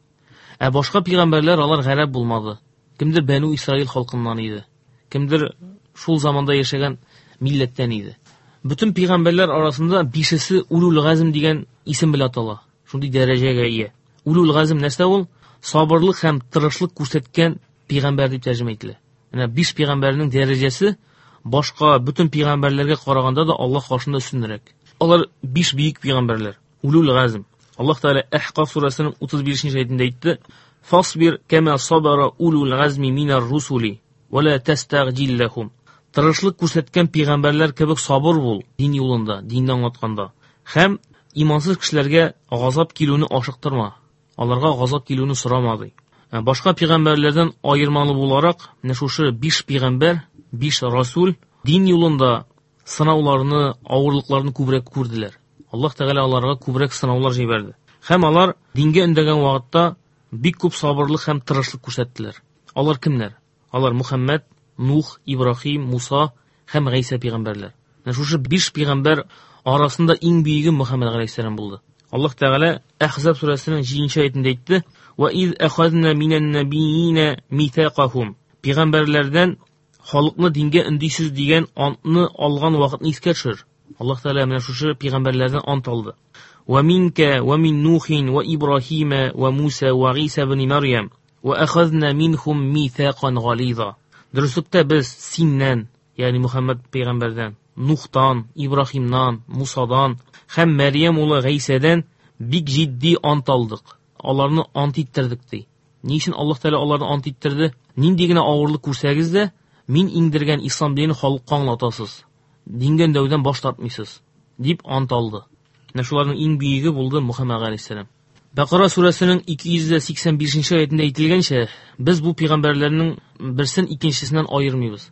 Ә башка пәйгамбәрләр алар гарәп булмады. Кемдер Бәну Исраил халкыннан иде. Кемдер шул заманда яшәгән милләттән иде. Бөтен пәйгамбәрләр арасында бишесе Улул Газм дигән исем белән атала. Шундый дәрәҗәгә ия. Улул Газм нәрсә ул? Сабырлык һәм тырышлык күрсәткән пәйгамбәр дип тәрҗемә ителә. Менә биш пәйгамбәрнең дәрәҗәсе башка бөтен пәйгамбәрләргә караганда да Аллаһ каршында өстенрәк. Алар биш бөек пәйгамбәрләр. Улул Газм. Аллаһ Тәгалә Әхкаф сүрәсенең утыз бишенче аятендә әйтте: "Фасбир кама сабара улул газми минар русули ва ла тастагҗил лахум." Тырышлык күрсәткән пәйгамбәрләр кебек сабыр бул дин юлында, динне аңлатканда. Һәм имансыз кешеләргә газап килүне ашыктырма. Аларга газап килүне сорама ди. Башка пәйгамбәрләрдән аермалы буларак, менә шушы биш пәйгамбәр, биш расул дин юлында сынауларны, авырлыкларны күбрәк күрделәр. Аллаһ Тәгалә аларга күбрәк сынаулар җибәрде. Һәм алар дингә өндәгән вакытта бик күп сабырлык һәм тырышлык күрсәттеләр. Алар кемнәр? Алар Мухаммад, Нух, Ибраһим, Муса һәм Гайсә пәйгамбәрләр. Менә шушы биш пәйгамбәр арасында иң бөеге Мухаммад галәйһиссәлам булды. Аллаһ Тәгалә Әхзаб сүрәсенең җиденче аятендә әйтте: "Ва из ахазна минән набиина митақахум." Пәйгамбәрләрдән халыкны дингә өндисез дигән антны алган вакытны искә төшер. Аллаһ Тәгалә менә шушы пәйгамбәрләрдән ант алды. Ва минка ва мин Нухин ва Ибраһима ва Муса ва Гыйса ибн Марьям ва ахазна минхум митақан гализа. Дөреслектә без синнән, ягъни Мухаммад пәйгамбәрдән, Нухтан, Ибраһимнан, Мусадан һәм Мәрьям улы Гайсәдән бик җитди ант алдык. Аларны ант иттердек ди. Ни өчен Аллаһ Тәгалә аларны ант иттерде? Нинди генә авырлык күрсәгез дә, мин иңдергән ислам динен халыкка аңлатасыз. Дингә өндәүдән баш тартмыйсыз, дип ант алды. Менә шуларның иң бөеге булды Мухаммад галәйһиссәлам. Бакара сүрәсенең ике йөз сиксән бишенче аятендә әйтелгәнчә, без бу пәйгамбәрләрнең берсен икенчесеннән аермыйбыз.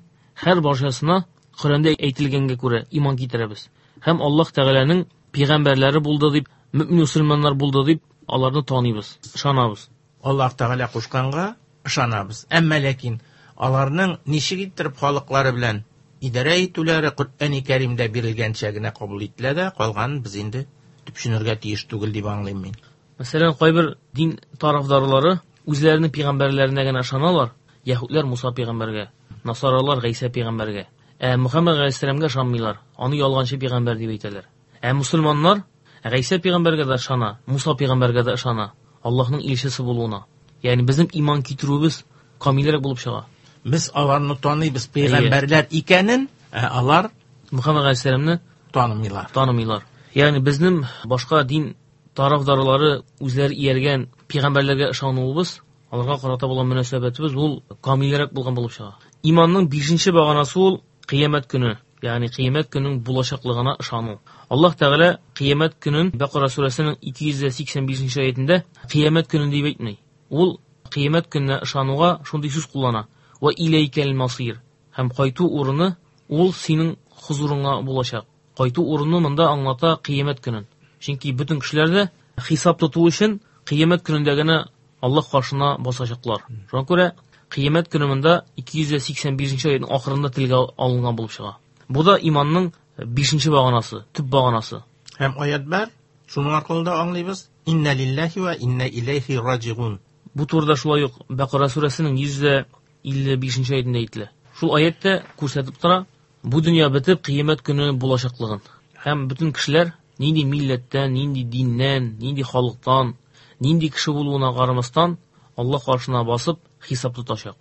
Һәр барчасына Коръәндә әйтелгәнгә күрә иман китерәбез. Һәм Аллаһ Тәгаләнең пәйгамбәрләре булды дип, мөмин мөселманнар булды дип аларны таныйбыз, ышанабыз. Аллаһ Тәгалә кушканга ышанабыз. Әмма ләкин аларның ничек иттереп халыклары белән идарә итүләре Коръәни Кәримдә бирелгәнчә генә кабул ителә дә, калганын без инде төпченергә тиеш түгел дип аңлыйм мин. Мәсәлән, кайбер дин тарафдарлары үзләренең пәйгамбәрләренә генә ышаналар. Яһүдләр Муса пәйгамбәргә, насаралар Гайсә пәйгамбәргә. Ә Мухаммад галәйһиссәламгә ышанмыйлар. Аны ялганчы пәйгамбәр дип әйтәләр. Ә мусульманнар Гайсә пәйгамбәргә дә ышана, Муса пәйгамбәргә дә ышана, Аллаһның илчесе булуына. Ягъни безнең иман китерүебез камилрәк булып чыга. Без аларны таныйбыз пәйгамбәрләр икәнен, ә алар Мухаммад галәйһиссәламне танымыйлар. Танымыйлар. Ягъни безнең башка дин тарафдарлары үзләре ияргән пәйгамбәрләргә ышануыбыз аларга карата булган мөнәсәбәтебез ул камилрәк булган булып чыга. Иманның бишенче баганасы ул кыямәт көне, ягъни кыямәт көненең булачаклыгына ышану. Аллаһ Тәгалә кыямәт көнен Бакара сүрәсенең ике йөз сиксән бишенче аятендә кыямәт көнен дип әйтми. Ул кыямәт көненә ышануга шундый сүз куллана: "Ва иләйкәл масир." Һәм кайту урыны ул синең хузурыңа булачак. Кайту урыны монда аңлата кыямәт көнен. Чөнки бөтен кешеләр дә хисап тоту өчен кыямәт көнендә генә Аллаһ каршына басачаклар. Шуңа күрә кыямәт көне монда ике йөз сиксән бишенче аятның ахырында телгә алынган булып чыга. Бу да иманның бишенче баганасы, төп баганасы. Һәм аят бар, шуның аркылы да аңлыйбыз: Инна лиллаһи ва инна иләйһи раҗигун. Бу турыда шулай ук Бакара сүрәсенең йөз илле бишенче аятында әйтелә. Шул аятта күрсәтеп тора, бу дөнья бетеп кыямәт көне булачаклыгын. Һәм бөтен кешеләр нинди милләттән, нинди диннән, нинди халыктан, нинди кеше булуына карамастан Аллаһ каршына басып хисап тотачак.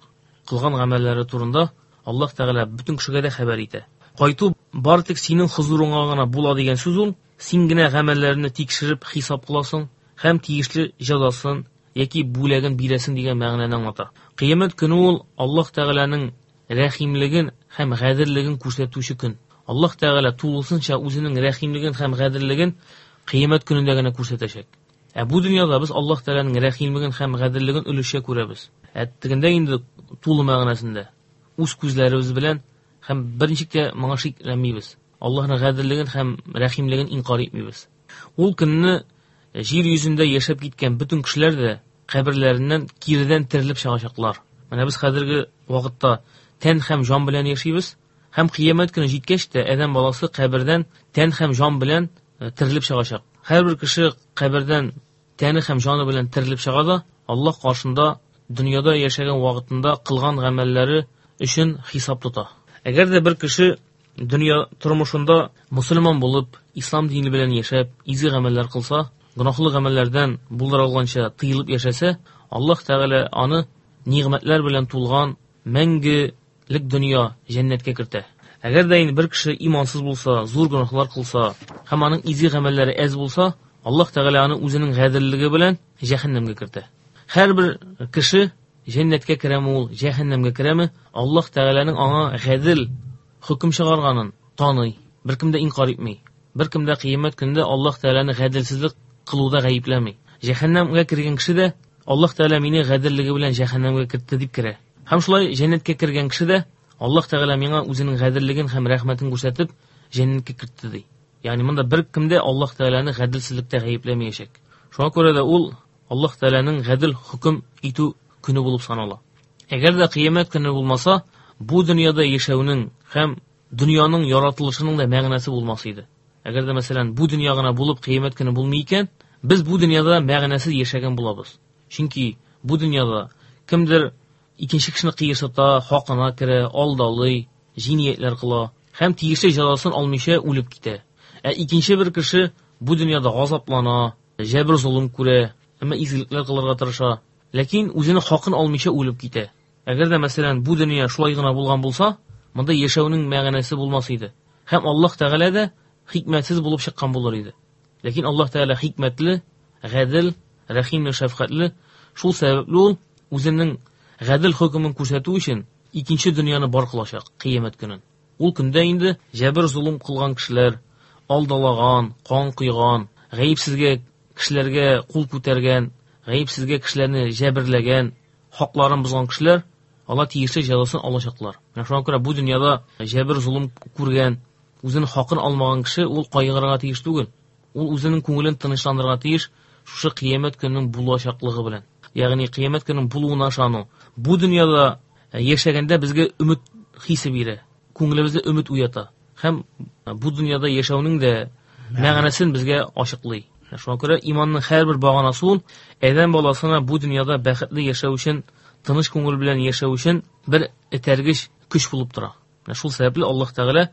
Кылган гамәлләре турында Аллаһ Тәгалә бөтен кешегә дә хәбәр итә. Кайту бары тик синең хузурыңа гына була дигән сүз ул, син генә гамәлләрне тикшереп хисап кыласың һәм тиешле җәзасын яки бүләген бирәсең дигән мәгънәне аңлата. Кыямәт көне ул Аллаһ Тәгаләнең рәхимлеген һәм гаделлеген күрсәтүче көн. Аллаһ Тәгалә тулысынча үзенең рәхимлеген һәм гаделлеген кыямәт көнендә генә күрсәтәчәк. Ә бу дөньяда без Аллаһ Тәгаләнең рәхимлеген һәм гаделлеген өлешчә күрәбез. Ә тегендә инде тулы мәгънәсендә үз күзләребез белән һәм берничек тә моңа шикләнмибез. Аллаһның гаделлеген һәм рәхимлеген инкар итмибез. Ул көнне җир йөзендә яшәп киткән бөтен кешеләр дә каберләреннән киредән терелеп чыгачаклар. Менә без хәзерге вакытта тән һәм җан белән яшибез, һәм кыямәт көне җиткәч тә адәм баласы кабердән тән һәм җан белән терелеп чыгачак. Һәрбер кеше кабердән тәне һәм җаны белән терелеп чыга да Аллаһ каршында дөньяда яшәгән вакытында кылган гамәлләре өчен хисап тота. Әгәр дә бер кеше дөнья тормышында мусульман булып, ислам дине белән яшәп, изге гамәлләр кылса, гөнаһлы гамәлләрдән булдыра алганча тыелып яшәсә, Аллаһ Тәгалә аны нигъмәтләр белән тулган мәңгелек дөнья җәннәткә кертә. Әгәр дә инде бер кеше имансыз булса, зур гөнаһлар кылса һәм аның изге гамәлләре әз булса, Аллаһ Тәгалә аны үзенең гаделлеге белән җәһәннәмгә кертә. Һәрбер кеше җәннәткә керәме ул, җәһәннәмгә керәме, Аллаһ Тәгаләнең аңа гадел хөкем чыгарганын таный, беркем дә инкар итми. Беркем дә кыямәт көнендә Аллаһ Тәгаләне гаделсезлек кылуда гаепләми. Җәһәннәмгә кергән кеше дә Аллаһ Тәгалә мине гаделлеге белән җәһәннәмгә кертте дип керә. Һәм шулай җәннәткә кергән кеше дә Аллаһ Тәгалә миңа үзенең гаделлеген һәм рәхмәтен күрсәтеп җәннәткә кертте ди. Ягъни монда беркем дә Аллаһ Тәгаләне гаделсезлектә гаепләмәячәк. Шуңа күрә дә ул Аллаһ Тәгаләнең гадел хөкем итү көне булып санала. Әгәр дә кыямәт көне булмаса, бу дөньяда яшәүнең һәм дөньяның яратылышының да мәгънәсе булмас иде. Әгәр дә мәсәлән бу дөнья гына булып кыямәт көне булмый икән, без бу дөньяда мәгънәсез яшәгән булабыз. Чөнки бу дөньяда кемдер икенче кешене кыерсыта, хакына керә, алдалый, җинаятлар кыла һәм тиешле җәзасын алмыйча үлеп китә. Ә икенче бер кеше бу дөньяда газаплана, җәбер золым күрә, әмма изгелекләр кылырга тырыша, ләкин үзенең хакын алмыйча үлеп китә. Әгәр дә мәсәлән бу дөнья шулай гына булган булса, монда яшәүнең мәгънәсе булмас иде. Һәм Аллаһ Тәгалә дә хикмәтсез булып чыккан булыр иде. Ләкин Аллаһ Тәгалә хикмәтле, гадел, рәхимле, шәфкатьле. Шул сәбәпле ул үзенең гадел хөкемен күрсәтү өчен икенче дөньяны бар кылачак кыямәт көнен. Ул көндә инде җәбер золым кылган кешеләр, алдалаган, кан койган, гаепсезгә кешеләргә кул күтәргән, гаепсезгә кешеләрне җәберләгән, хакларын бозган кешеләр алар тиешле җәзасын алачаклар. Менә шуңа күрә бу дөньяда җәбер золым күргән, үзенең хакын алмаган кеше ул кайгырырга тиеш түгел. Ул үзенең күңелен тынычландырырга тиеш шушы кыямәт көненең булачаклыгы белән. Ягъни кыямәт көненең булуына ышану. Бу дөньяда яшәгәндә безгә өмет хисе бирә, күңелебездә өмет уята. Һәм бу дөньяда яшәүнең дә мәгънәсен безгә ачыклый. Шуңа күрә иманның һәрбер баганасы ул адәм баласына бу дөньяда бәхетле яшәү өчен, тыныч күңел белән яшәү өчен бер этәргеч көч булып тора. Менә шул сәбәпле Аллаһ Тәгалә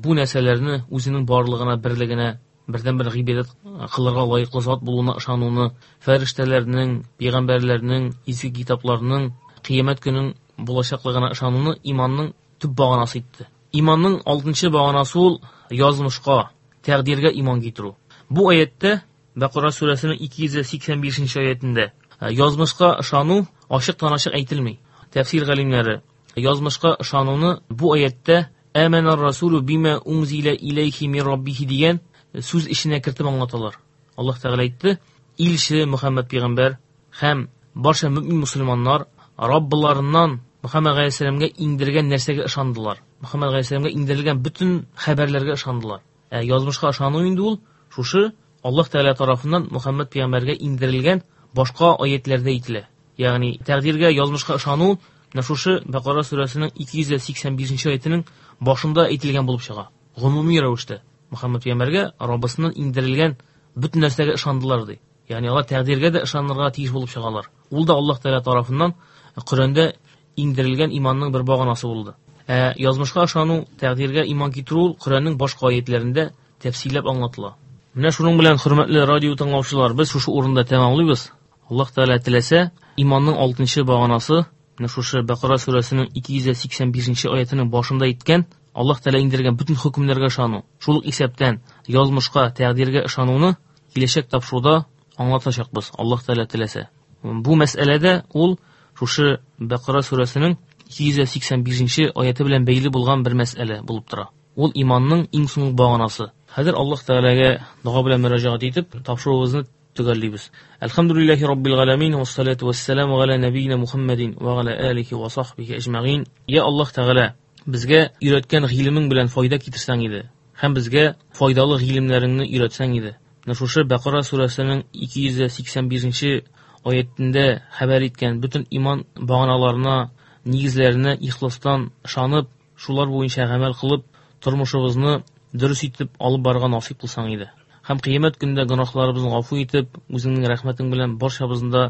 бу нәрсәләрне үзенең барлыгына, берлегенә, бердән-бер гыйбадәт кылырга лаеклы зат булуына ышануны, фәрештәләрнең, пәйгамбәрләрнең, изге китапларның, кыямәт көненең булачаклыгына ышануны иманның төп баганасы итте. Иманның алтынчы баганасы ул язмышка, тәкъдиргә иман китерү. Бу аятта Бакара сүрәсенең ике йөз сиксән бишенче аятендә язмышка ышану ачыктан-ачык әйтелми. Тәфсир галимнәре язмышка ышануны бу аятта «Аманар расулу бима унзила илейхи мин раббихи» дигән сүз эченә кертеп аңлаталар. Аллаһ Тәгалә әйтте: илче Мөхәммәд пәйгамбәр һәм барча мөмин мусульманнар Раббларыннан Мөхәммәд галәйһиссәламгә иңдергән нәрсәгә ышандылар. Мөхәммәд галәйһиссәламгә иңдерелгән бөтен хәбәрләргә ышандылар. Ә язмышка ышану инде ул шушы Аллаһ Тәгалә тарафыннан Мөхәммәд пәйгамбәргә иңдерелгән башка аятларда әйтелә. Ягъни тәкъдиргә, язмышка ышану менә шушы Бакара сүрәсенең ике йөз сиксән бишенче аятының башында әйтелгән булып чыга. Гомуми рәвештә Мөхәммәд пәйгамбәргә Раббысыннан иңдерелгән бөтен нәрсәгә ышандылар ди. Ягъни алар тәкъдиргә дә ышанырга тиеш булып чыгалар. Ул да Аллаһ Тәгалә тарафыннан Коръәндә иңдерелгән иманның бер баганасы булды. Ә язмышка ышану, тәкъдиргә иман китерү ул Коръәннең башка аятларында тәфсилләп аңлатыла. Менә шуның белән, хөрмәтле радио тыңлаучылар, без шушы урында тәмамлыйбыз. Аллаһ Тәгалә теләсә, иманның алтынчы баганасы, менә шушы Бакара сүрәсенең ике йөз сиксән бишенче аятының башында әйткән Аллаһ Тәгалә иңдергән бөтен хөкемнәргә ышану, шул ук исәптән язмышка, тәкъдиргә ышануны киләчәк тапшыруда аңлатачакбыз, Аллаһ Тәгалә теләсә. Бу мәсьәләдә ул шушы Бакара сүрәсенең ике йөз сиксән бишенче аяты белән бәйле булган бер мәсьәлә булып тора. Ул иманның иң соңгы баганасы. Хәзер Аллаһ Тәгаләгә дога белән мөрәҗәгать итеп, тапшыруыбызны төгәллибез. Әлхәмдүлилләһи раббил галәмин, вассалату вассаламу галя нәбиина Мухаммадин ва галя алихи ва сахбихи әҗмәгин. Я Аллаһ Тәгалә, безгә өйрәткән гыйлемең белән файда китерсәң иде һәм безгә файдалы гыйлемнәреңне өйрәтсәң иде. Менә шушы Бакара сүрәсенең ике йөз сиксән бишенче аятендә хәбәр иткән бөтен иман баганаларына, нигезләренә ихластан ышанып, шулар буенча гамәл кылып, тормышыбызны дөрес итеп алып барырга насыйп кылсаң иде. Һәм кыямәт көндә гөнаһларыбызны гафу итеп, үзеңнең рәхмәтең белән барчабызны да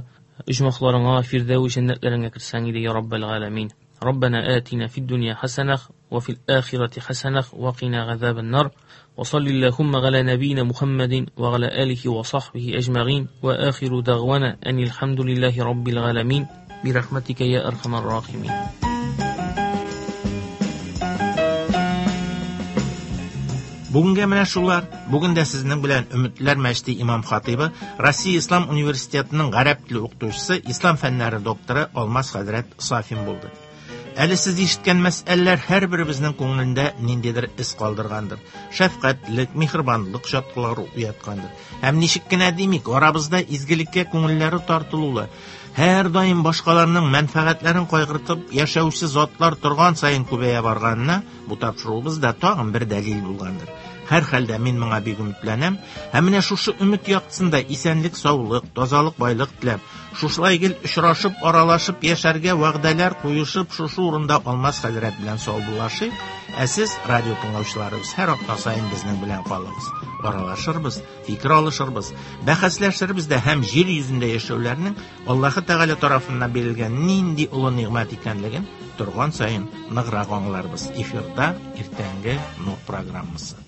оҗмахларыңа, фирдәүс җәннәтләреңә кертсәң иде, я Раббал галәмин. Раббана атина фид дөнья хасанах ва фил ахирати хасанах ва кина газабан нар. Ва саллиллахумма галя набийна Мухаммадин ва галя алихи ва сахбихи әҗмәгин. Ва ахиру дагвана анил хамдулиллахи раббил галәмин. Би рахматика я архамар рахимин. Бүгенгә менә шулар. Бүген дә сезнең белән Өметләр мәчете имам хатибы, Россия Ислам университетының гарәп теле укытучысы, ислам фәннәре докторы Алмаз хәзрәт Сафин булды. Әле сез ишеткән мәсьәләләр һәрберебезнең күңелендә ниндидер эз калдыргандыр. Шәфкатьлек, миһербанлык чаткылары уяткандыр. Һәм ничек кенә димик, арабызда изгелеккә күңелләре тартылулы, һәр даим башкаларның мәнфәгатьләрен кайгыртып яшәүче затлар торган саен күбәя барганына бу тапшыруыбыз да тагын бер дәлил булгандыр. Һәр хәлдә мин моңа бик өметләнәм. Һәм менә шушы өмет яктысында исәнлек, саулык, тазалык, байлык теләп, шушылай гел очрашып, аралашып яшәргә вәгъдәләр куешып, шушы урында Алмаз хәзрәт белән саубуллашыйк. Ә сез, радио тыңлаучыларыбыз, һәр атна саен безнең белән калыгыз. Аралашырбыз, фикер алышырбыз, бәхәсләшербез дә һәм җир йөзендә яшәүләрнең Аллаһы Тәгалә тарафыннан бирелгән нинди олы нигъмәт икәнлеген торган саен ныграк аңларбыз. Эфирда иртәнге Нур программасы.